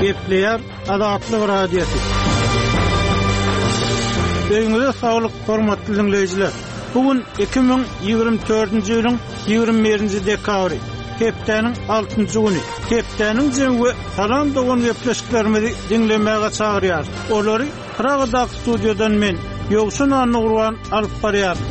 Gepleýär Azatlyk Radiosy. Öýüňize saglyk, hormatly diňleýjiler! Bu gün 2024-nji ýylyň 21-nji dekabry, hepdäniň altynjy güni. Hepdäniň jemi we Salam dogan gepleşiklerimizi diňlemäge çagyrýarys. Olary Pragadaky studiýadan men, Ýowşan Annagurban alyp barýaryn.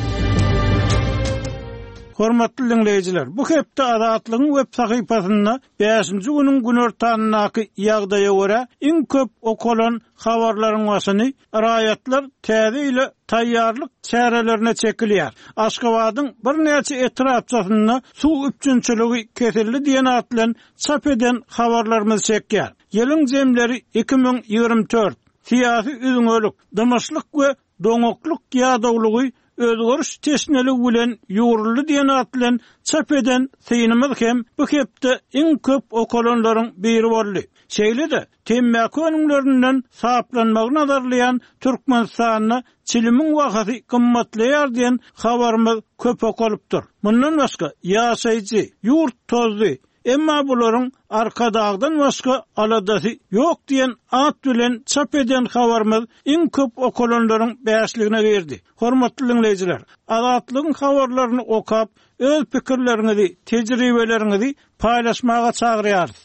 Hormatly diňleýjiler, bu hepde Azatlygyň web sahypasynda bäşinji günüň günortanyndaky ýagdaýa görä, iň köp okalan habarlaryň başyny raýatlar Täze ýyla taýýarlyk çärelerine çekilýär. Aşgabadyň birnäçe etrapçasynda suw üpjünçiligi kesildi diýen at bilen çap eden habarlarymyz çekýär. Ýylyň jemleri 2024, Syýasy üzňelik, dymyşlyk we doňaklyk ýadawlygy özgeriş teşneligi bilen ýugruldy diýen at bilen çap eden synymyz hem bu hepde iň köp okalanlaryň biri boldy. Şeýle-de, temmäki önümlerinden saplanmagy nazarlaýan Türkmenistanda çilimiň bahasy gymmatlaýar diýen habarymyz köp okalypdyr. Mundan başga, ýaşaýjy, ýurt tozdy, Emma bularyň Arkadagdan başga aladasy ýok diýen at bilen çap eden habarymyz iň köp okalanlaryň bäşligine girdi. Hormatly diňleýjiler, Azatlygyň habarlaryny okap, öz pikirleriňizi, tejribeleriňizi paýlaşmaga çagyrýarys.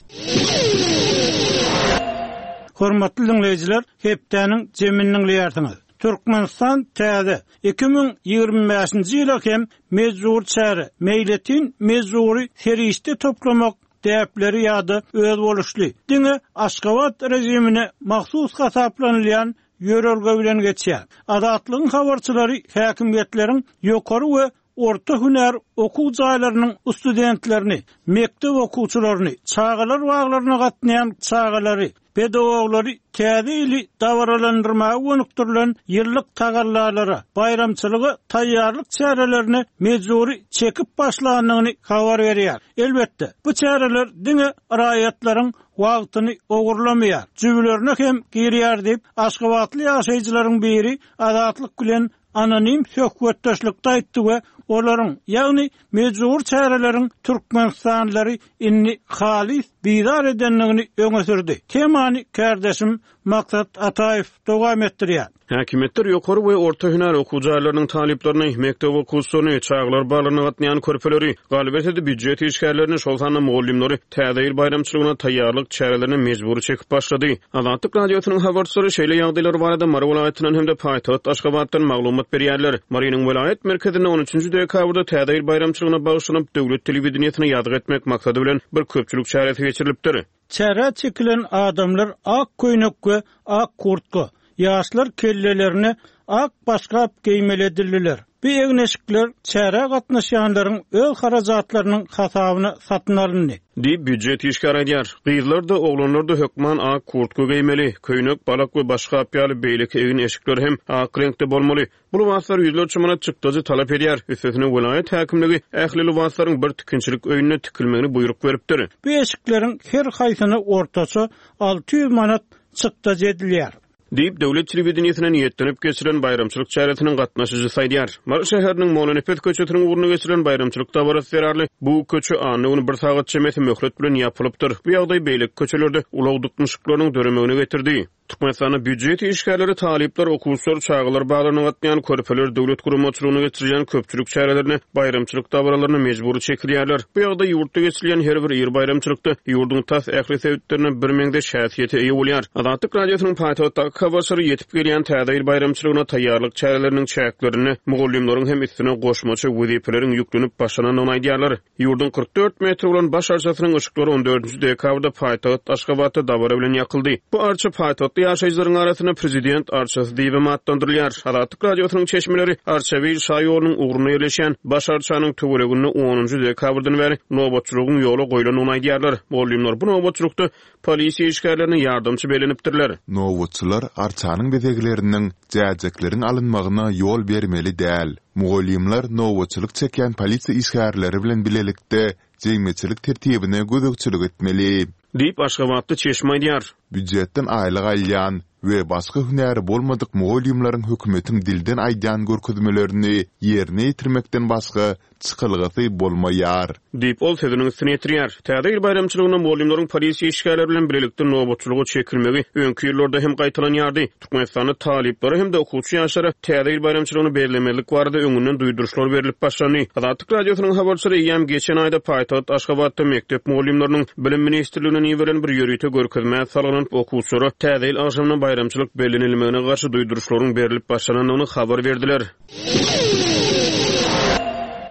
Hormatly diňleýjiler, hepdäniň jemini diňleýärsiňiz. Türkmenistan täze, 2025-nji ýyla hem mejbury çäre, meýletin mejbury serişde toplamak däpleri ýa-da özboluşly, diňe Aşgabat režimine mahsus hasaplanylýan ýörelge bilen geçýär. Azatlygyň habarçylary häkimiýetleriň ýokary we orta hünär okuw jaýlarynyň studentlerini, mekdep okuwçylaryny, çagalar baglaryna gatnaýan çagalary, pedagoglary Täze ýyly dabaralandyrmaga gönükdirilen ýyllyk tagallalara, baýramçylyga taýýarlyk çärelerine mejbury çekip başlandygyny habar berýär. Elbetde, bu çäreler diňe raýatlaryň wagtyny ogurlamaýar, jübülerine hem girýär diýip, aşgabatly ýaşaýjylaryň biri Azatlyk bilen anonim söhbetdeşlikde aýtdy we olaryň, ýagny mejbury çäreleriň türkmenistanlylary indi halys bizar edendigini öňe sürdi. Temany kärdeşim Maksat Ataýew dowam etdirýär. Häkimiýetler ýokary we orta hünär okuw jaýlarynyň talyplaryny, mekdep okuwçylaryny, çagalar baglaryna gatnaýan körpeleri, galyberse-de býujet işgärlerini, şol sanda mugallymlary Täze ýyl baýramçylygyna taýýarlyk çärelerine mejbury çekip başlady. Azatlyk Radiosynyň habarçylary şeýle ýagdaýlar barada Mary welaýatyndan hem-de paýtagt Aşgabatdan maglumat berýärler. Marynyň welaýat merkezinde on üçünji dekabrda Täze ýyl baýramçylygyna bagyşlanyp, döwlet telewideniýesine ýazgy etmek maksady bilen bir köpçülik çäresi geçirilipdir. Çärä çekilen adamlar ak köýnek we ak kurtka, Ýaşlar kellelerine ak başgap geýmeli edildiler. Bu egin-eşikler çärä gatnaşýanlaryň öz harajatlarynyň hasabyna satyn alyndy. Diýip, býujet işgäri aýdýar. Gyzlar-da, oglanlar-da hökman ak kurtka geýmeli. Köýnek, balak we başgap ýaly beýleki egin-eşikler hem ak reňkde bolmaly. Bu lybaslar ýüzlerçe manat çykdajy talap edýär. Üstesine welaýat häkimligi ähli lybaslaryň bir tikinçilik öýünde tikilmegini buýruk beripdir. Bu eşikleriň her haýsyna ortaça 600 manat çykdajy edilýär. Diýip, döwlet telewideniýesine niýetlenip geçirilen baýramçylyk çäresiniň gatnaşyjysy aýdýar. Mary şäheriniň Mollanepes köçesiniň ugrunda geçirilen baýramçylyk dabarasy zerarly bu köçe anna güni bir sagat çemesi möhlet bilen ýapylypdyr. Bu ýagdaý beýleki köçelerde ulag dyknyşyklarynyň döremegine getirdi. Türkmenistanda býujet işgärleri, talyplar, okuwçylar, çagalar baglaryna gatnaýan körpeler döwlet guramaçylygynda geçirilýän köpçülik çärelerine, baýramçylyk dabaralaryna mejbury çekilýärler. Bu ýagdaý ýurtda geçirilýän her bir iri baýramçylykda ýurduň tas ähli sebitlerinde birmeňzeş häsiýete eýe bolýar. Azatlyk Radiosynyň paýtagtdaky habarçylary ýetip gelýän Täze ýyl baýramçylygyna taýýarlyk çäreleriniň çäklerinde mugallymlaryň hem üstüne goşmaça wezipeleriň ýüklenip başlanandygyny aýdýarlar. Ýurduň 44 metr bolan baş arçasynyň yşyklary on dördünji dekabrda paýtagt Aşgabatda dabara bilen ýakyldy. Bu arça paýtagtly ýaşaýjylaryň arasynda Prezident arçasy diýibem atlandyrylýar. Azatlyk Radiosynyň çeşmeleri Arçabil şaýolunyň ugrunda ýerleşýän baş arçanyň töwereginde onunjy dekabrdan bäri nobatçylygyň ýola goýlandygyny aýdýarlar. Mugallymlar bu nobatçylykda polisiýa işgärlerine ýardamçy bellenipdirler. Nobatçylar arçanyň bezegleriniň, jäjekleriň alynmagyna ýol bermeli däl. Mugallymlar nobatçylyk çekýän polisiýa işgärleri bilen bilelikde jemgyýetçilik tertibine gözegçilik etmeli. Diýip, aşgabatly çeşme aýdýar. Býujetden aýlyk alýan we başga hünäri bolmadyk mugallymlaryň hökümetiň dilden aýdýan görkezmelerini ýerine ýetirmekden başga çykalgasy bolmaýar. Diýip, ol sözüniň üstüni ýetirýär. Täze ýyl baýramçylygynda mugallymlaryň polisiýa işgärleri bilen bilelikde nobatçylyga çekilmegi öňki ýyllarda hem gaýtalanýardy. Türkmenistanda talyplara hem-de okuwçy ýaşlara Täze ýyl baýramçylygyny bellemezlik barada öňünden duýduryşlar berlip başlandy. Azatlyk Radiosynyň habarçylary eýýäm geçen aýda paýtagt Aşgabatda mekdep mugallymlarynyň Bilim ministrliginden iberilen bir ýörite görkezmä salgylanyp, okuwçylara Täze ýyl agşamyna baýramçylyk bellenilmegine garşy duýduryşlaryň berlip başlanandygyny habar berdiler.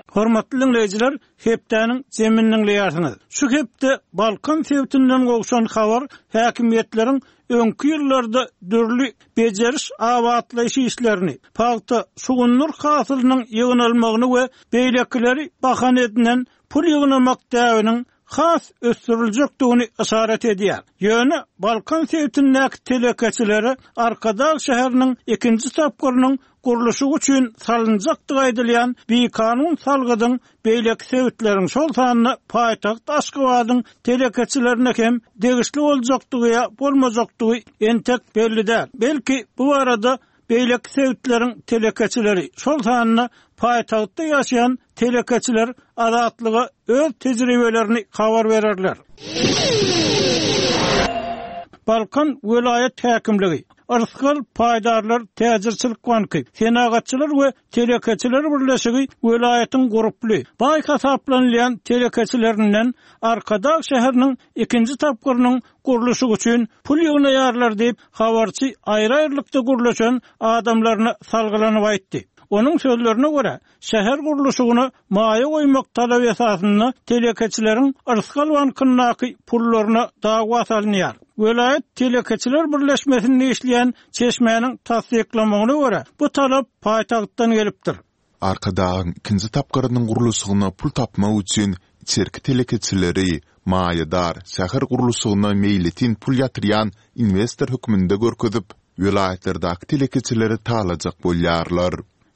Hormatly diňleýjiler, hepdäniň jemini diňleýärsiňiz. Şu hepde Balkan sebitinden gowşan habar häkimiýetleriň öňki ýyllarda dürli bejeriş-abatlaýyş işlerini, pagta, şugundyr hasylynyň ýygnalmagyny we beýlekileri bahana edinen pul ýygnamak däbiniň has ösdüriljekdigini yşarat edýär. Ýöne Balkan sebitindäki telekeçilere Arkadag şäheriniň ikinji tapgyrynyň gurluşygy üçin salynjakdygy aýdylýan bikanun salgydyň beýleki sebitleriň, şol sanda paýtagt Aşgabadyň telekeçilerine hem degişli boljakdygy ýa bolmajakdygy entek belli däl. Belki, bu barada beýleki sebitleriň telekeçileri, şol sanda paýtagtda ýaşaýan telekeçiler Azatlyga öz tejribelerini habar bererler. Balkan welaýat häkimligi, Yrsgal paýdarlar täjirçilik banky, Senagatçylar we telekeçiler birleşigi welaýatyň gurply, baý hasaplanylýan telekeçilerinden Arkadag şäheriniň ikinji tapgyrynyň gurluşygy üçin pul ýygnaýarlar diýip, habarçy aýry-aýrylykda gürleşen adamlaryna salgylanyp aýtdy. Onuň sözlerine görä, şäher gurluşygyna maýa goýmak talaby esasynda telekeçileriň Yrsgal bankyndaky pullaryna dawa salynýar. Welaýat telekeçiler birleşmesinde işleýän çeşmäniň tassyklamagyna görä, bu talap paýtagtdan gelipdir. Arkadagyň ikinji tapgyrynyň gurluşygyna pul tapmak üçin içerki telekeçileri, maýadar, şäher gurluşygyna meýletin pul ýatyrýan inwestor hökmünde görkezip, welaýatlardaky telekeçileri talajak bolýarlar.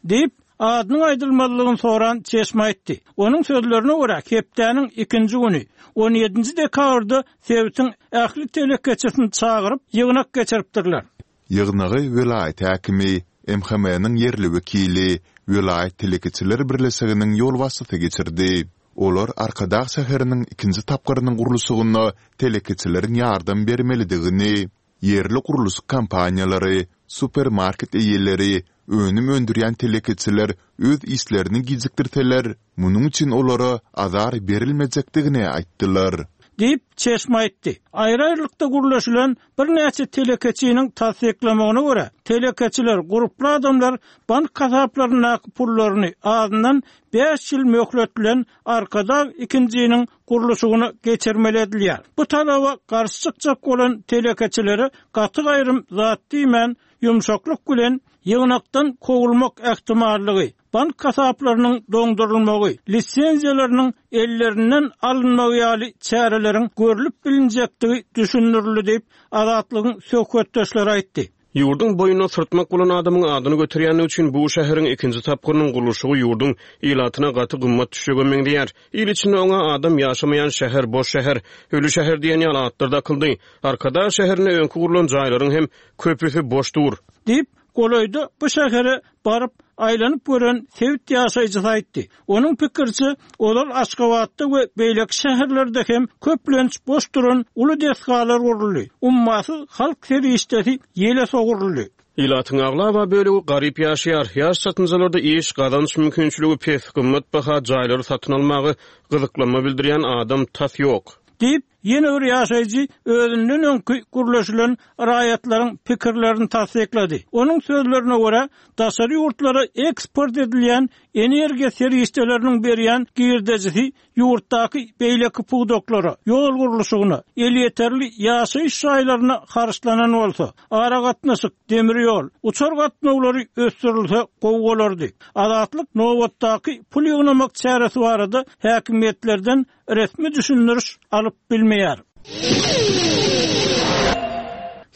Diýip, adynyň aýdylmazlygyny soran çeşme aýtdy. Onuň sözlerine görä, hepdäniň ikinji güni, on ýedinji dekabrda sebitiň ähli telekeçisini çagyryp, ýygnak geçiripdirler. Ýygnagy welaýat häkimi, MHM-niň ýerli wekili, welaýat telekeçiler birleşiginiň ýolbaşçysy geçirdi. Olar Arkadag şäheriniň ikinji tapgyrynyň gurluşygyna telekeçileriň ýardam bermelidigini, ýerli gurluşyk kompaniýalary, supermarket eýeleri, önüm öndürýän telekeçiler öz işlerini gijikdirseler, munuň üçin olara azar berilmejekdigini aýtdylar. Diýip, çeşme aýtdy. Aýry-aýrylykda gürleşilen Birnäçe telekeçiniň tassyklamagyna görä, telekeçiler, gurply adamlar bank hasaplaryndaky pullaryny azyndan bäş ýyl möhlet bilen Arkadag ikinjiniň gurluşygyna geçirmeli edilýär. Bu talaba garşy çykjak bolan telekeçilere gaty-gaýrym zat diýmän, ýumşaklyk bilen ýygnakdan kowulmak ähtimallygy, bank hasaplarynyň doňdurylmagy, lisenziýalarynyň ellerinden alynmagy ýaly çäreleriň görlüp bilinjekdigi düşündirildi diýip, Azatlygyň söhbetdeşleri aýtdy. Ýurduň boýnuna syrtmak bolan adamyň adyny göterýändigi üçin bu şäheriň ikinji tapgyrynyň gurluşygy ýurduň ilatyna gaty gymmat düşjege meňzeýär. Il içinde oňa adam ýaşamaýan şäher, boş şäher, öli şäher diýen ýaly atlar dakyldy. Arkadag şäherinde öňki gurlan jaýlaryň hem köpüsi boş dur. Diýip, Golaýda bu şähere baryp, aýlanyp gören sebit ýaşaýjysy aýtdy. Onuň pikiriçe, ozal Aşgabatda we beýleki şäherlerde hem köplenç boş duran uly desgalar guruldy, ummasyz halk serişdesi ýele sowruldy. Ilatyň aglaba bölegi garyp ýaşaýar. Ýaş çatynjalarda iş, gazanç mümkinçiligi pes, gymmatbaha jaýlary satyn almaga gyzyklanma bildirýän adam tas ýok. Diýip, Ýene bir ýaşaýjy özünden öňki gürleşilen raýatlaryň pikirlerini tassyklady. Onuň sözlerine görä, daşary ýurtlara eksport edilýän energiýa serişdeleriniň berýän girdejisi ýurtdaky beýleki pudaklara, ýol gurluşygyna, elýeterli ýaşaýyş jaýlaryna harçlanan bolsa, aragatnaşyk, demir ýol, uçar gatnawlary ösdürilse gowy bolardy. Azatlyk nobatdaky pul ýygnamak çäresi barada häkimiýetlerden resmi düşündiriş alyp bilmeýär.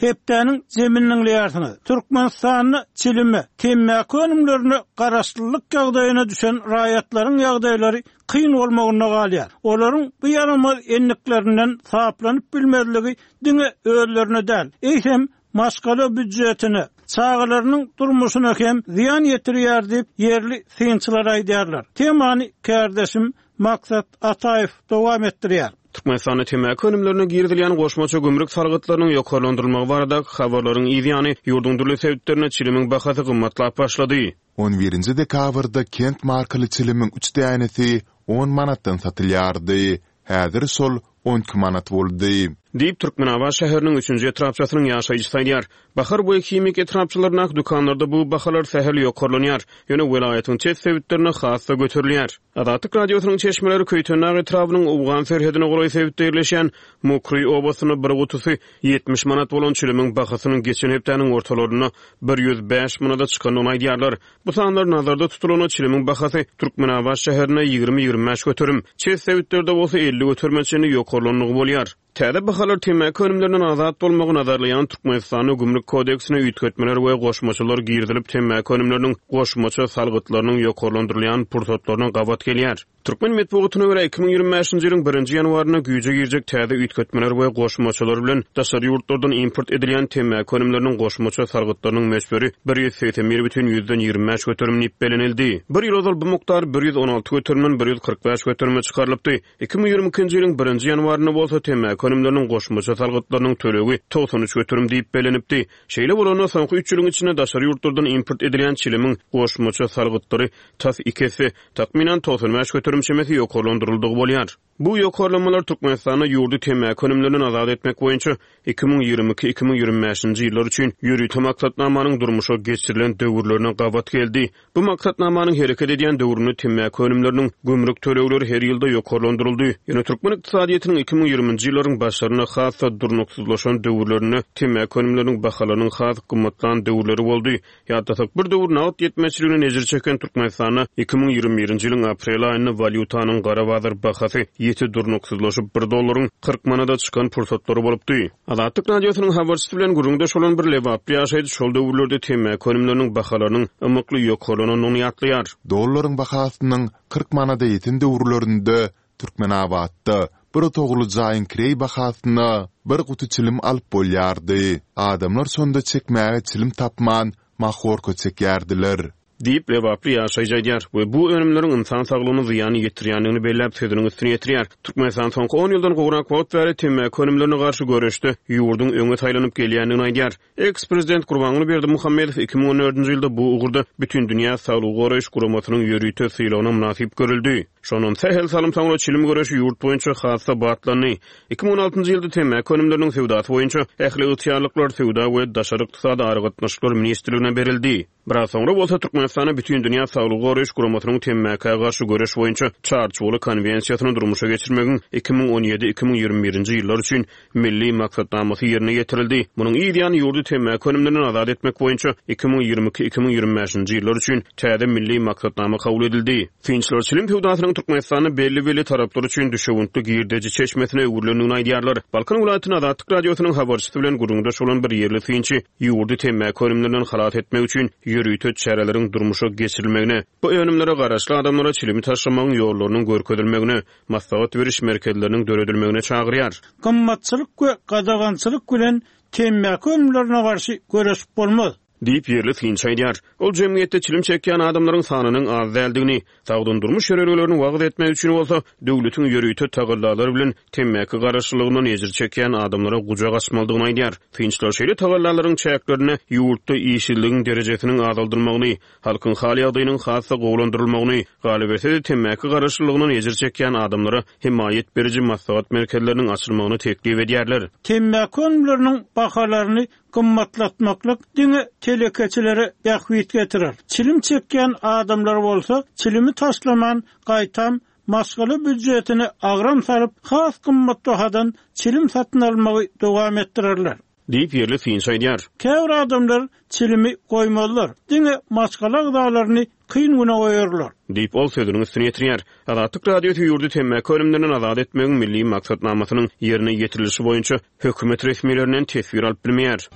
Hepdäniň jemini diňleýärsiňiz. Türkmenistanda çilime, temmäki önümlerine garaşlylyk ýagdaýyna düşen raýatlaryň ýagdaýlary kyn bolmagynda galýar. Olaryň bu ýaramaz endiklerinden saplanyp bilmezligi diňe özlerine däl, eýsem, maşgala býudjetine, çagalarynyň durmuşyna hem zyýan ýetirýär diýip, ýerli synçylar aýdýarlar. Temany kärdeşim Maksat Ataýew dowam etdirýär. Türkmenistanda temmäki önümlerine girizilýän goşmaça gümrük salgytlarynyň ýokarlandyrylmagy baradaky habarlaryň yz ýany, ýurduň dürli sebitlerinde çilimiň bahasy gymmatlap başlady. On birinji dekabrda Kent markaly çilimiň üç dänesi on manatdan satylýardy. Häzir şol 12 manat boldy. Diýip, Türkmenabat şäheriniň üçünji etrapçasynyň ýaşaýjysy aýdýar. Bahar we Himik etrapçalaryndaky dükanlarda bu bahalar sähel ýokarlanýar, ýöne welaýatyň çet sebitlerinde has-da göterilýär. Azatlyk Radiosynyň çeşmeleri Köýtendag etrabynyň owgan serhedine golaý sebitde ýerleşýän Mukry obasynda bir gutusy 70 manat bolan çilimiň bahasynyň geçen hepdäniň ortalarynda 105 manada çykandygyny aýdýarlar. Bu sanlar nazarda tutulanda çilimiň bahasy Türkmenabat şäherinde 20-25 göterim, çet sebitlerde bolsa 50 göterime çenli ýokarlandygy bolýar. Täze bahalar temmäki önümlerinden azat bolmagy nazarlaýan Türkmenistanda Gümrük kodeksine üýtgetmeler we goşmaçalar girizilip temmäki önümleriniň goşmaça salgytlarynyň ýokarlandyrylýan pursatlaryna gabat gelýär. Türkmen metbugatyna görä, 2025-nji ýylyň birinji ýanwarynda güýje girjek täze üýtgetmeler we goşmaçalar bilen daşary ýurtlardan import edilýän temmäki önümleriniň goşmaça salgytlarynyň möçberi 181 bütin ýüzden 25 göterim diýip bellenildi. Bir ýyl ozal bu mukdar 116 göterimden 145 göterime çykarylypdy. 2022-nji ýylyň birinji ýanwarynda bolsa temmäki önümleriniň goşmaça salgytlarynyň tölegi 93 göterim diýip bellenipdi. Şeýle bolanda, soňky üç ýylyň içinde daşary ýurtlardan import edilýän çilimiň goşmaça salgytlary tas iki esse, takmynan 95 göterim çemesi ýokarlandyryldygy bolýar. Bu ýokarlanmalar Türkmenistanda ýurdy temmäki önümlerinden azat etmek boýunça 2022, 2025-nji ýyllar üçin ýörite maksatnamanyň durmuşa geçirilen döwürlerine gabat geldi. Bu maksatnamanyň hereket edýän döwründe temmäki önümleriniň gümrük tölegleri her ýylda ýokarlandyryldy. Ýöne türkmen ykdysadyýetiniň 2020-nji ýyllaryň başlarynda has-da durnuksyzlaşan döwürlerinde temmäki önümleriniň bahalarynyň has gymmatlan döwürleri boldy. Ýatlasak, bir döwür nagt ýetmezçiliginden ejir çeken Türkmenistanda 2021-nji ýylyň aprel aýynda walýutanyň gara bazar bahasy ýiti durnuksyzlaşyp, bir dollaryň 40 manada çykan pursatlary bolupdy. Azatlyk Radiosynyň habarçysy bilen gürrüňdeş bolan bir lebaply ýaşaýjy şol döwürlerde temmäki önümleriniň bahalarynyň ymykly ýokarlanandygyny ýatlaýar. Dollaryň bahasynyň 40 manada ýeten döwürlerinde Türkmenabatda bir otagly jaýyň kireý bahasyna bir guty çilim alyp bolýardy. Adamlar şonda çekmäge çilim tapman, mahorka çekýärdiler. Diýip, lebaply ýaşaýjy aýdýar we bu önümleriň ynsan saglygyna zyýan ýetirýändigini belläp, sözüniň üstüni ýetirýär. Türkmenistan soňky on ýyldan gowrak wagt bäri temmäki önümlerine garşy göreşde ýurduň öňe saýlanyp gelýändigini aýdýar. Eks-prezident Gurbanguly Berdimuhamedow 2014-nji ýylda bu ugurda Bütindünýä saglygy goraýyş guramasynyň ýörite sylagyna mynasyp görüldi. Şondan sähel salym soňra çilim göreşi ýurt boýunça has-da batlandy. 2016-njy ýylda temmäki önümleriniň söwdasy boýunça ähli ygtyýarlyklar Söwda we daşary ykdysady aragatnaşyklar ministrligine berildi. Biraz soňra bolsa Türkmenistanda Bütindünýä Saglygy Goraýyş Guramasynyň temmäkä garşy göreş boýunça Çarçuwaly Konwensiýasyny durmuşa geçirmegiň 2017, 2021-nji ýyllar üçin Milli maksatnamasy ýerine ýetirildi. Munuň yz ýany ýurdy temmäki önümlerinden azat etmek boýunça 2022, 2025-nji ýyllar üçin täze Milli maksatnama kabul edildi. Synçylar çilim söwdasynyň Türkmenistanda belli-belli taraplar üçin düşewüntli girdeji çeşmesine öwrülendigini aýdýarlar. Balkan welaýatynda Azatlyk Radiosynyň habarçysy bilen gürrüňdeş bolan bir ýerli synçy ýurdy temmäki önümlerinden halas etmek üçin ýörite çäreleriň durmuşa geçirilmegine, bu önümlere garaşly adamlara çilimi taşlamagyň ýollarynyň görkezilmegine, maslahat beriş merkezleriniň döredilmegine çagyrýar. Gymmatçylyk we gadagançylyk bilen temmäki önümlerine garşy göreşip bolmaz. Diýip, ýerli synçy aýdýar. Ol jemgyýetde çilim çekýän adamlaryň sanynyň az däldigini, sagdyn durmuş ýörelgelerini wagyz etmek üçin bolsa, döwletiň ýörite tagallalary bilen temmäki garaşlylygyndan ejir çekýän adamlara gujak açmalydygyny aýdýar. Synçylar şeýle tagallalaryň çäklerinde ýurtda işsizligiň derejesiniň azaldylmagyny, halkyň hal-ýagdaýynyň has-da gowulandyrylmagyny, galyberse-de, temmäki garaşlylygyndan ejir çekýän adamlara hemaýat beriji maslahat merkezleriniň açylmagyny teklip edýärler. Temmäki önümleriniň bahalaryny Gymmatlatmaklyk diňe telekeçilere bähbit getirer. Çilim çekýän adamlar bolsa çilimi taşlaman, gaýtam, maşgala býudjetine agram salyp, has gymmat bahadan çilim satyn almagy dowam etdirerler. Diýip, ýerli synçy aýdýar. Käbir adamlar çilimi goýmazlar, diňe maşgala agzalaryny kyn güne goýarlar. Diýip, ol sözüniň üstüni ýetirýär. Azatlyk Radiosy ýurdy temmäki önümlerinden azat etmegiň milli maksatnamasynyň ýerine ýetirilişi boýunça hökümet resmilerinden teswir alyp bilmeýär.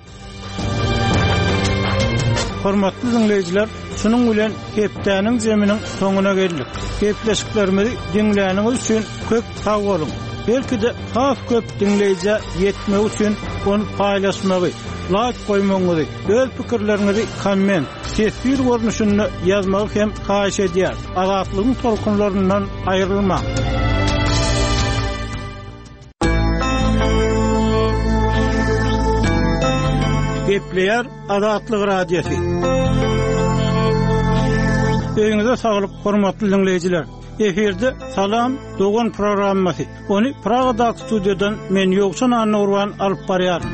Hormatly diňleýjiler, şunuň bilen hepdäniň zeminiň soňuna geldik. Gepleşiklerimizi diňläniňiz üçin köp sag boluň! Belki-de has köp diňleýjä ýetmegi üçin ony paýlaşmagy, laýk goýmagyňyzy, öz pikirleriňizi komment, teswir görnüşinde ýazmagy hem haýyş edýäris. Azatlygyň tolkunlaryndan aýrylmaň! Gepleýär Azatlyk Radiosy. Öýüňize saglyk, hormatly diňleýjiler! Efirde Salam, dogan programmasy. Ony Pragadaky studiýadan men Ýowşan Annagurban alyp barýaryn.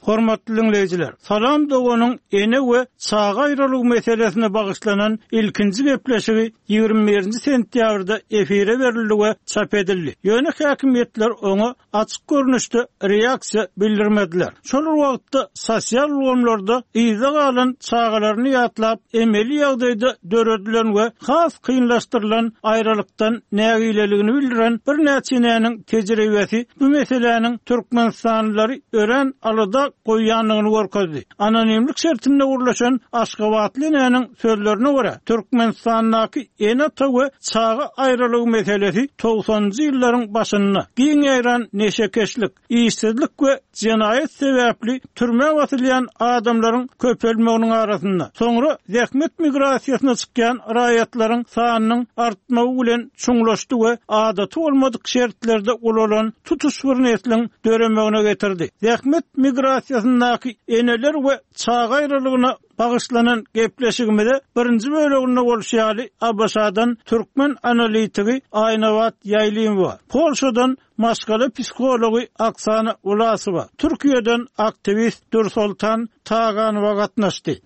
Hormatly diňleýjiler, Salam doganyň ene we çaga aýralygy meselesine bagyşlanan ilkinji gepleşigi 21-nji sentýabrda efire berildi we çap edildi. Ýöne häkimiýetler oňa açyk görnüşde reaksiýa bildirmediler. Şol bir wagtda, sosial ulgamlarda yzda galan çagalaryny ýatlap, emeli ýagdaýda döredilen we has kynlaşdyrylan aýralykdan nägileligini bildiren birnäçe enäniň tejribesi bu meseläniň türkmenistanlylary örän alada goýýandygyny görkezdi. Anonimlik şertinde gürleşen aşgabatly enäniň sözlerine görä, Türkmenistandaky ene-ata we çaga aýralygy meselesi togsanynjy ýyllaryň başynda giň ýaýran neşekeşlik, işsizlik we jenaýat sebäpli türmä basylýan adamlaryň köpelmeginiň arasynda, soňra zähmet migrasiýasyna çykýan raýatlaryň sanynyň artmagy bilen çuňlaşdy we adaty bolmadyk şertlerde ulalan tutuş bir nesliň döremegine getirdi. Zähmet migrasiýasyndaky eneler we çaga aýralygyna bagyşlanan gepleşigimize birinji böleginde bolşy ýaly ABŞ-dan türkmen analitigi Aýnabat Ýaýlymowa, Polşadan maşgala psihology Oksana Wlasowa, Türkiýeden aktiwist Dürsoltan Taganowa gatnaşdy.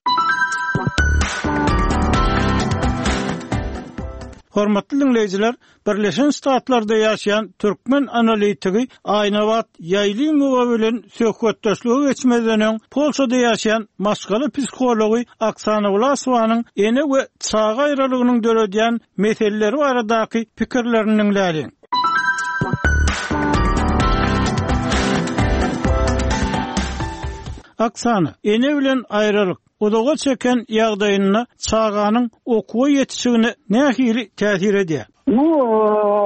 Hormatly diňleýjiler, Birleşen Ştatlarda ýaşaýan türkmen analitigi Aýnabat Ýaýlymowa bilen söhbetdeşlige geçmezden öň, Polşada ýaşaýan maşgala psihology Oksana Wlasowanyň ene we çaga aýralygynyň döredýän meseleleri baradaky pikirlerini diňläliň. Oksana, ene bilen aýralyk, uzaga çeken ýagdaýynda çaganyň okuwa ýetişigine nähili täsir edýär? Nu,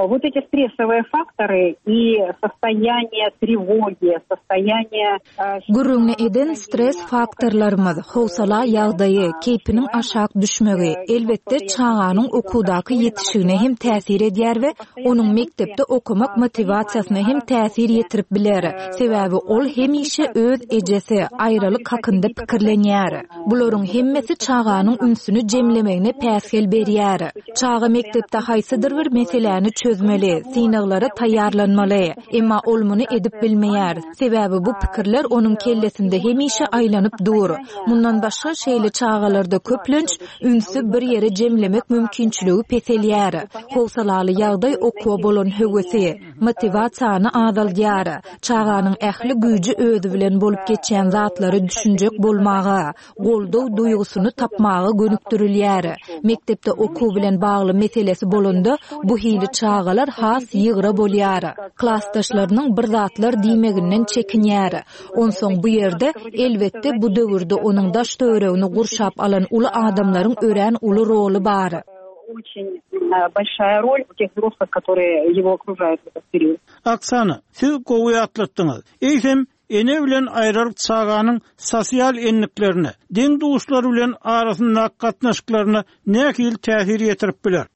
вот эти стрессовые faktory i sostoýaniýe trewogi, sostoýaniýe Gürrüňini eden stres faktorlarymyz, howsala ýagdaýy, keýpiniň aşak düşmegi, elbetde, çaganyň okuwdaky ýetişigine hem täsir edýär we onuň mekdepde okamak motiwasiýasyna hem täsir ýetirip biler. Sebäbi ol hemişe öz ejesi, aýralyk hakynda pikirlenýär. Bularyň hemmesi çaganyň ünsüni jemlemegine päsgel berýär. Çaga mekdepde haýsydyr bir meseläni çözmeli, synaglara taýýarlanmaly. Emma ol muny edip bilmeýär. Sebäbi bu pikirler onuň kellesinde hemişe aýlanyp dur. Mundan başga, şeýle çagalarda köplenç ünsi bir ýere jemlemek mümkinçiligi peselýär. Howsalaly ýagdaý okuwa bolan höwesi, motiwasiýany azaldýar. Çaganyň ähli güýji özi bilen bolup geçýän zatlara düşünjek bolmaga, goldaw duýgusyny tapmaga gönükdirilýär. Mekdepde okuw bilen bagly meselesi bolanda, bu hili çagalar has ýygra bolýar. Klasdaşlarynyň bir zatlar diýmeginden çekinýär. Onsoň bu ýerde, elbetde, bu döwürde onuň daş-töweregini gurşap alan uly adamlaryň örän uly roly bar. Oksana, siz gowy ýatlatdyňyz. Eýsem, Ene bilen aýralyk çaganyň sosial endiklerine, deň-duşlary bilen arasyndaky gatnaşyklaryna nähili täsir ýetirip biler?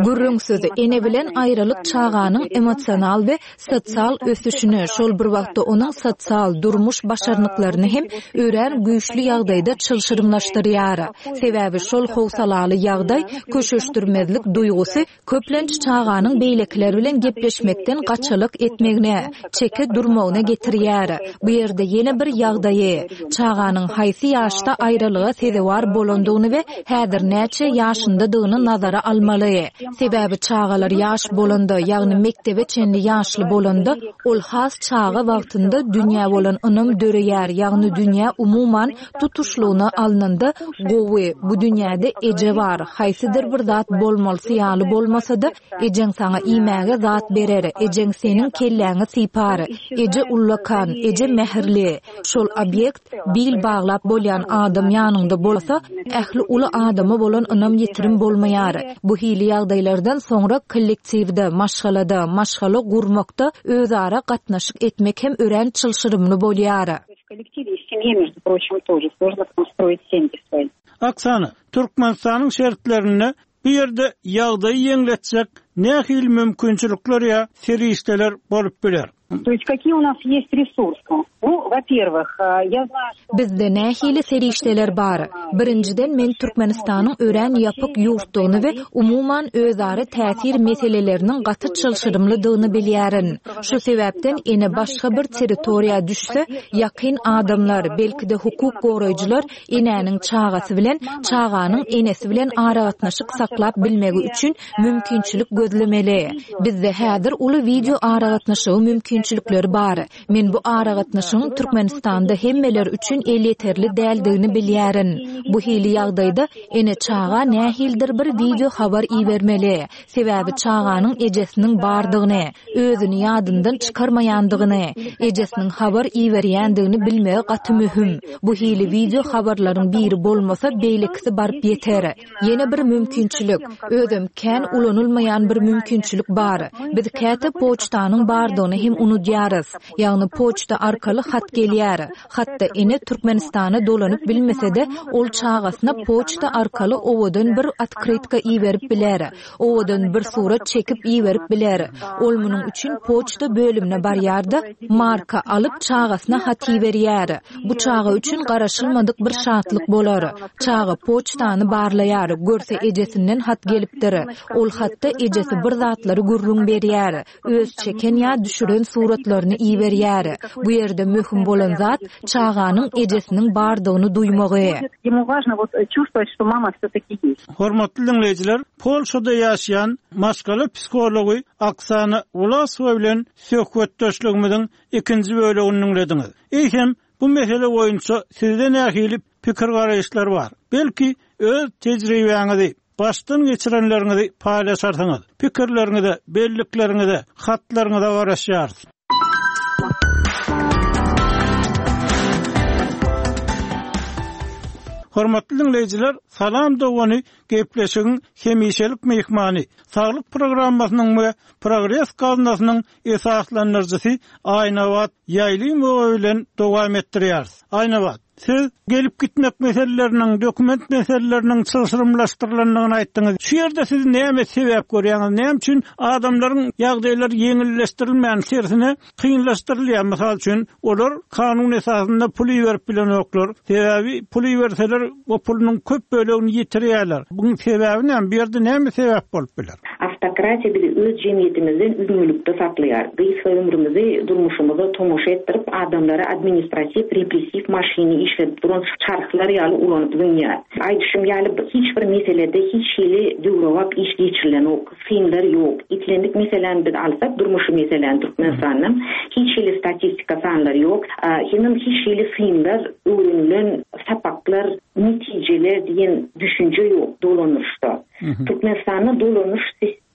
Gürrüňsiz, ene bilen aýralyk çaganyň emosional we sosial ösüşine, şol bir wagtda onuň sosial, durmuş başarnyklaryny hem örän güýçli ýagdaýda çylşyrymlaşdyrýar. Sebäbi şol howsalaly ýagdaý, köşeşdirmezlik duýgusy Köplenç çaganyň beýlekiler bilen gepleşmekden gaçalyk etmegine, çeke durmagyna getirýär. Bu ýerde ýene bir ýagdaýy, çaganyň haýsy ýaşda aýralyga sezewar bolandygyny. bolandygyny we häzir näçe ýaşyndadygyny nazara almaly. Sebäbi çagalar ýaş bolanda, ýagny mekdebe çenli ýaşly bolanda, ol has çaga wagtynda dünýä bolan ynam döreýär, ýagny dünýä umuman tutuşlygyna alnanda gowy, bu dünýäde eje bar, haýsydyr bir zat bolmalysy ýaly bolmasa-da, ejeň saňa iýmäge zat berer, ejeň seniň kelläňi sypar, eje ullakan, eje mähirli. Şol obýekt bil baglap bolýan adam ýanyňda bolsa, ähli uly adama bolan ynam ýitirim bolmaýar. Bu hili ýagdaýlardan soňra kollektiwde, maşgalada, maşgala gurmakda özara gatnaşyk etmek hem örän çylşyrymly bolýar. Oksana, Türkmenistanyň şertlerinde bu ýerde ýagdaýy ýeňletjek nähili mümkinçilikler ýa serişdeler bolup biler? To ýest kakiýe u nas ýest resursy? Nu, wo-perwyh, ýa znaýu, şto. Bizde nähili serişdeler bar? Birinjiden, men Türkmenistanyň örän ýapyk ýurtdugyny we umuman özara täsir meseleleriniň gaty çylşyrymlydygyny bilýärin. Şu sebäpden ene başga bir territoriýa düşse, ýakyn adamlar, belki-de hukuk goraýjylar enäniň çagasy bilen, çaganyň enesi bilen aragatnaşyk saklap bilmegi üçin mümkinçilik gözlemeli. Bizde häzir uly wideo aragatnaşygy mümkinçilikleri bar. Men bu aragatnaşygyň Türkmenistanda hemmeler üçin elýeterli däldigini bilýärin. Bu hili ýagdaýda ene çaga nähilidir bir wideo habar ibermeli. Sebäbi çaganyň ejesiniň bardygyny, özüni ýadyndan çykarmaýandygyny, ejesiniň habar iberýändigini bilmegi gaty möhüm. Bu hili wideo habarlaryň biri bolmasa beýlekisi baryp ýeter. Ýene bir mümkinçilik, özem kän ulanylmaýan bir mümkinçilik bar. Biz käte poçtanyň bardygyny hem unudýarys. Ýagny poçta arkaly hat gelýär. Hatda ene Türkmenistana dolanyp bilmese-de, ol çagasyna poçta arkaly owadan bir otkrytka iberip biler. Owadan bir surat çekip iberip biler. Ol munuň üçin poçta bölümine barýar-da, marka alyp, çagasyna hat iberýär. Bu çaga üçin garaşylmadyk bir şatlyk bolar. Çaga poçtany barlaýar, görse ejesinden hat gelipdir. Ol hatda ejesi bir zatlary gürrüň berýär. Öz çeken ýa düşüren suratlaryny iberýär. Bu ýerde möhüm bolan zat çaganyň ejesiniň bardygyny duýmagy. Hormatly diňleýjiler, Polşada ýaşaýan maşgala psihology Oksana Wlasowa bilen söhbetdeşligimiziň ikinji bölegini diňlediňiz. Eýsem, bu mesele boýunça sizde nähili pikir-garaýyşlar bar? Belki, öz tejribäňizi, başdan geçirenleriňizi paýlaşarsyňyz. Pikirleriňize, bellikleriňize, hatlaryňyza garaşýarys. Hormatly diňleýjiler, Salam dogany gepleşigiň hemişelik myhmany, Saglyk programmasynyň we Progres gaznasynyň esaslandyryjysy Aýnabat Ýaýlymowa bilen dowam etdirýäris. Aýnabat, siz gelip-gitmek meseleleriniň, dokument meseleleriniň çylşyrymlaşdyrylandygyny aýtdyňyz. Şu ýerde siz näme sebäp görýäňiz? Näme üçin adamlaryň ýagdaýlary ýeňilleşdirilmän, tersine kynlaşdyrylýar? Mysal üçin, olar kanun esasynda pul iberip bilenoklar. Sebäbi pul iberseler, o pulunyň köp bölegini ýitirýärler. Buň sebäbi näme? Bu ýerde näme sebäp bolup biler? Awtokratiýa bizi öz jemgyýetimizden üzňelikde saklaýar. Gysga ömrümizi durmuşymyza tomaşa etdirip, adamlary administratiw, repressiw maşyny işledip duran çarhlar ýaly ulanyp zyňýar. Aýdyşym ýaly, hiç bir meselede hiç hili döwrebap iş geçirilenok, synlar ýok. Islendik meseläni biz alsak, durmuşy meseläni Türkmenistanda hiç hili statistika sanlary ýok. Hemem hiç hili synlar, öwrenilen sapaklar, netijeler diýen düşünje ýok dolanyşda. Türkmenistanda dolanyş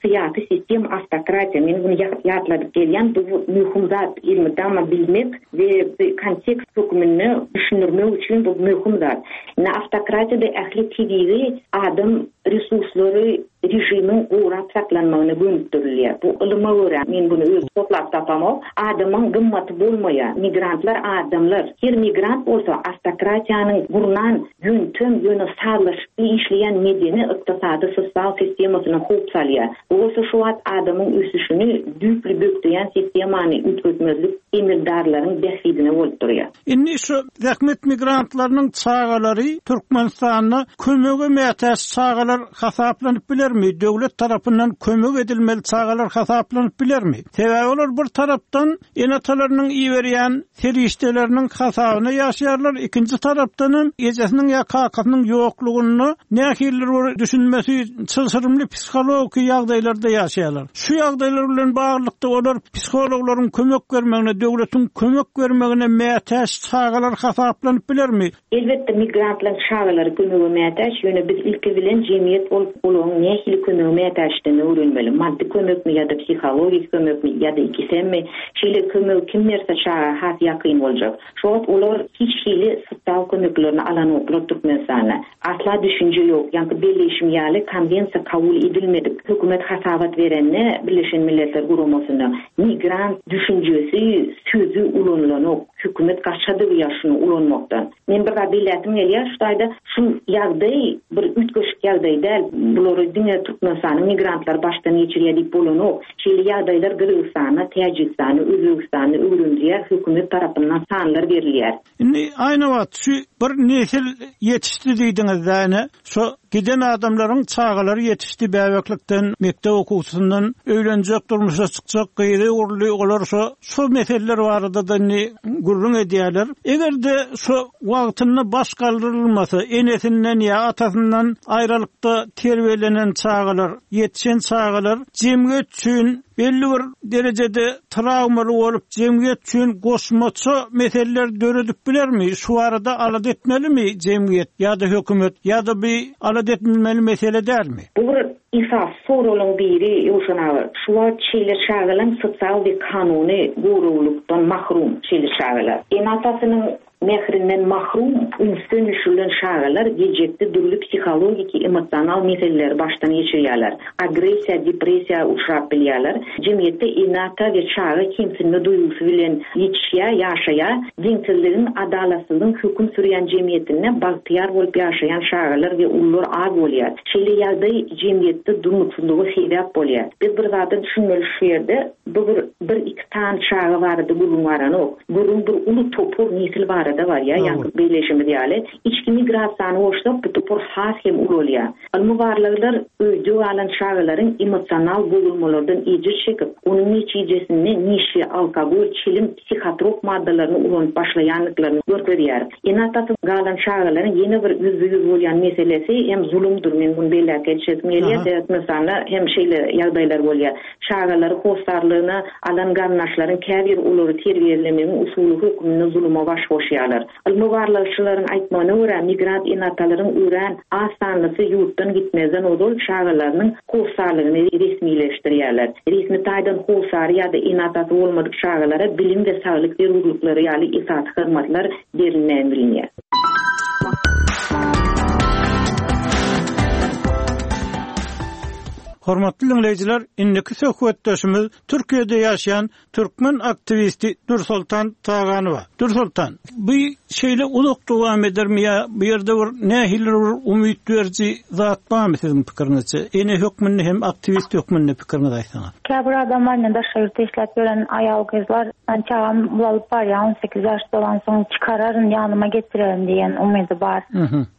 syýasy sistema awtokratiýa. Men muny ýatladyp gelýän, bu möhüm zat, elmydama bilmek we kontekst hökmünde düşündirmek üçin bu möhüm zat. Indi awtokratiýada ähli tebigy adam resurslary režimiň gorap saklanmagyna gönükdirilýär. Bu ylyma görä, men muny öz toplap tapamok, adamyň gymmaty bolmaýar. Migrantlar adamlar. Her migrant bolsa awtokratiýanyň gurnan Ýöntem, ýöne sazlaşykly işleýän medeni, ykdysady, sosial sistemasyna howp salýar. Bu bolsa şu wagt adamyň ösüşini düýpli bökdeýän sistemany üýtgetmezlik emeldarlaryň bähbidine bolup durýar. Indi şu zähmet migrantlarynyň çagalary Türkmenistanda kömege mätäç çagalar. çagalar hasaplanyp bilermi, döwlet tarapyndan kömek edilmeli çagalar hasaplanyp bilermi? Sebäbi olar bir tarapdan ene-atalarynyň iberýän serişdeleriniň hasabyna ýaşaýarlar, ikinji tarapdanam ejesiniň ýa kakasynyň ýoklugynda nähilidir bir düşünmesi çylşyrymly psihologiki ýagdaýlarda ýaşaýarlar. Şu ýagdaýlar bilen baglylykda olar psihologlaryň kömek bermegine, döwletiň kömek bermegine mätäç çagalar hasaplanyp bilermi? Elbetde, migrantlaryň çagalary kömege mätäç, ýöne biz ilki bilen jemgyýet bolup olaryň nähili kömege mätäçdigini öwrenmeli, maddy kömekmi ýa-da psihologik kömekmi ýa-da ikisemmi, şeýle kömegi kim berse çaga has ýakyn boljak. Şu wagt olar hiç hili sosial kömeklerini alanoklar Türkmenistanda. Asla düşünje ýok, ýaňky belleýşim ýaly konwensiýa kabul edilmedik, hökümet hasabat berende Birleşen Milletler Guramasyna migrant düşünjesi sözi ulanylanok. Hökümet gaça döwýär şuny ulanmakdan. Men bir zat belläsim gelýär şu taýda, şu ýagdaý bir üýtgeşik ýagdaý däl. Bulary diňe Türkmenistanyň migrantlary başdan geçirýär diýip bolanok. Şeýle ýagdaýlar Gyrgyzystanda, Täjigistanda, Özbegistanda öwrenilýär, hökümet tarapyndan sanlar berilýär. Indi Aýnabat şu bir nesil ýetişdi diýdiňiz-dä ine, şo giden adamlaryň çagalary ýetişdi bäbeklikden, mekdep okuwçysyndan öýlenjek, durmuşa çykjak gyzy öwrüldi, olar şo şo meseleler barada-da indi gürrüň edýärler. Eger-de şo wagtynda baş galdyrylmasa, enesinden ýa atasyndan aýralykda terbiýelenen çagalar, ýetişen çagalar jemgyýet üçin belli bir derejede trawmaly bolup, jemgyýet üçin goşmaça meseleler döredip bilermi? Şu barada alada etmelimi jemgyýet ýa-da hökümet ýa-da bu alada edilmeli mesele dälmi? Bu bir esasy soraglaryň biri, Ýowşan aga. Şu wagt şeýle çagalaň sosial we kanuny goraglykdan mahrum şeýle çagalar. Ene-atasynyň Mährinden mahrum, ünsden düşürilen çagalar geljekde dürli psihologiki, emosional meseleleri başdan geçirýärler. Agressiýa, depressiýa uçrap bilýärler. Jemgyýetde ene-ata we çaga kemsinme duýgusy bilen ýetişýär, ýaşaýar. Deňsizligiň, adalatsyzlygyň höküm sürýän jemgyýetinde bagtyýar bolup ýaşaýan çagalar we ulular az bolýar. Şeýle ýagdaý jemgyýetde durnuksyzlyga sebäp bolýar. Biz bir zada düşünmeli şu ýerde, bu bir bir-iki sany çaga barada gürrüň baranok. Gürrüň bir uly topar nesil barada barýar, ýaňky belleýşimiz ýaly. Içki migrasiýany goşsak, bu topar has hem ulalýar. Ylmy barlaglar öýde galan çagalaryň emosional bozulmalardan ejir çekip, onuň netijesinde neşe, alkogol, çilim, psihotrop maddalaryny ulanyp başlaýandyklaryny görkezýär. Ene-atasy galan çagalaryň ýene bir ýüzbe-ýüz bolýan meselesi hem zulumdyr. Men muny belläp geçesim gelýär, sebäbi Türkmenistanda hem şeýle ýagdaýlar bolýar. Çagalary hossarlygyna alan garyndaşlaryň käbiri olary terbiýelemegiň usuly hökmünde zuluma baş goşýarlar. Ylmy barlagçylaryň aýtmagyna görä, migrant ene-atalaryň örän az sanlysy ýurtdan gitmezden ozal çagalarynyň hossarlygyny resmileşdirýärler. Resmi taýdan hossary ýa-da ene-atasy bolmadyk çagalara bilim we saglyk zerurlyklary ýaly esasy hyzmatlar berilmän bilinýär. Hormatly diňleýjiler, indiki söhbetdeşimiz Türkiýede ýaşaýan türkmen aktiwisti Dürsoltan Taganowa. Dürsoltan, bu şeýle uzak dowam edermi ýa bu ýerde bir nähilidir bir umyt beriji zat barmy siziň pikiriňizçe? Ene hökmünde hem aktiwist hökmünde pikiriňizi aýtsaňyz. Käbir adamlar ine daşary ýurtda işläp ýören aýal-gyzlar men çagam ulalyp barýar 18 ýaş dolansoň çykararyn ýanyma getirerin diýen umydy bar.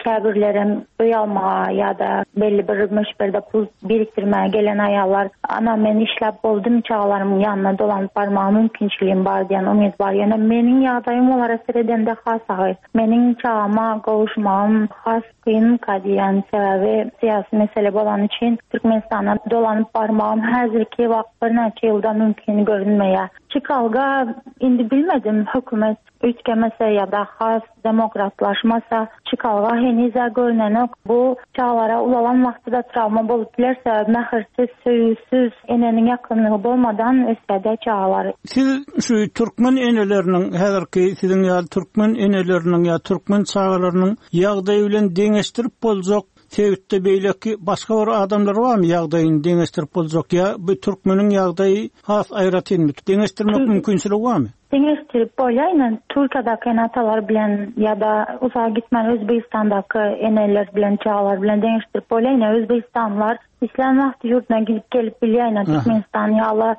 Käbirlerem öý almaga ýa-da belli bir möçberde pul birikdirmäge gelen aýallar, Ana, men işläp boldum, çagalarymyň ýanyna dolanyp barmaga mümkinçiligim bar diýen umyt bar. Ýöne meniň ýagdaýym olara seredende has agyr. Meniň çagama gowuşmagym has kynka diýýän, sebäbi syýasy mesele bolany üçin Türkmenistana dolanyp barmagym häzirki wagt birnäçe ýylda mümkin görünmeýär. Çykalga indi bilmedim, hökümet Üýtgemese ýa-da has demokratlaşmasa, çykalga heniz-ä görnenok. Bu çagalara ulalan wagty-da trawma bolup biler, sebäbi mähirsiz, söýgüsiz, eneniň ýakynlygy bolmadan ösýär-dä çagalar. Siz şu türkmen eneleriniň, häzirki siziň ýaly türkmen eneleriniň ýa türkmen çagalarynyň ýagdaýy bilen deňeşdirip boljak sebitde beýleki başga bir adamlar barmy ýagdaýyny deňeşdirip boljak ýa bu türkmeniň ýagdaýy has aýratynmy? Deňeşdirmek mümkinçiligi barmy? Deňeşdirip bolýar ine Türkiýedäki ene-atalar bilen ýa-da uzaga gitmän Özbegistandaky eneler bilen çagalar bilen deňeşdirip bolýar ine Özbegistanlylar. Islän wagty ýurduna gidip gelip bilýär. Ine Türkmenistan ýaly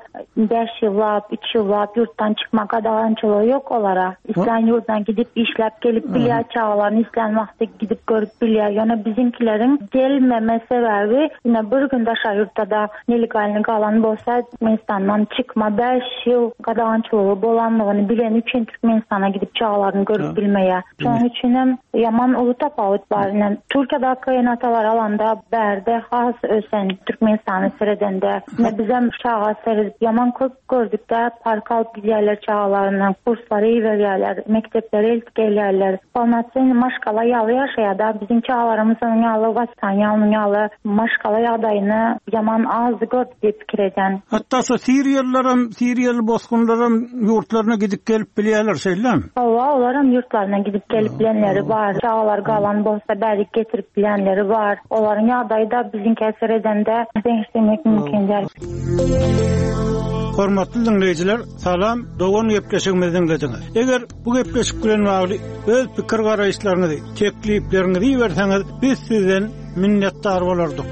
bäş ýyllap, üç ýyllap ýurtdan çykma gadagançylygy ýok olara. Islän ýurduna gidip işläp gelip bilýär, çagalaryny islän wagty gidip görüp bilýär. Ýöne biziňkileriň gelmeme sebäbi ine bir gün daşary ýurtda-da nelegalny galan bolsa Türkmenistandan çykma bäş ýyl gadagançylygy bolanlygyny bileni üçin Türkmenistana gidip çagalaryny görüp bilmeýär. Şonuň üçinem ýaman uly tapawut bar. Ine, Türkiýedäki ene-atalar alanda bärde has ösen Türkmenistana seredende. Ine, bizem çaga seredip ýaman köp gördük-dä, parka alyp gidýärler çagalaryny, kurslara iberýärler, mekdeplere eltip gelýärler. Polnosennyý maşgala ýaly ýaşaýar-da. Biziň çagalarymyz onuň ýaly waspitaniýa, onuň ýaly maşgala ýagdaýyny ýaman az gördi diýip pikir edýän. Hatda şo siriýalylaram, siriýaly bosgunlaram ýurtlaryna gidip gelip bilýärler, şeýlemi? Hawa, olaram ýurtlaryna gidip gelip bilenleri bar. Çagalary galan bolsa bärik getirip bilýänleri bar. Olaryň ýagdaýy-da biziňkä seredende deňeşdirmek mümkin däl. Hormatly diňleýjiler, Salam dogan gepleşigimizi diňlediňiz. Eger bu gepleşik bilen bagly öz pikir garaýyşlaryňyzy, teklipleriňizi iberseňiz, biz sizden minnetdar bolardyk.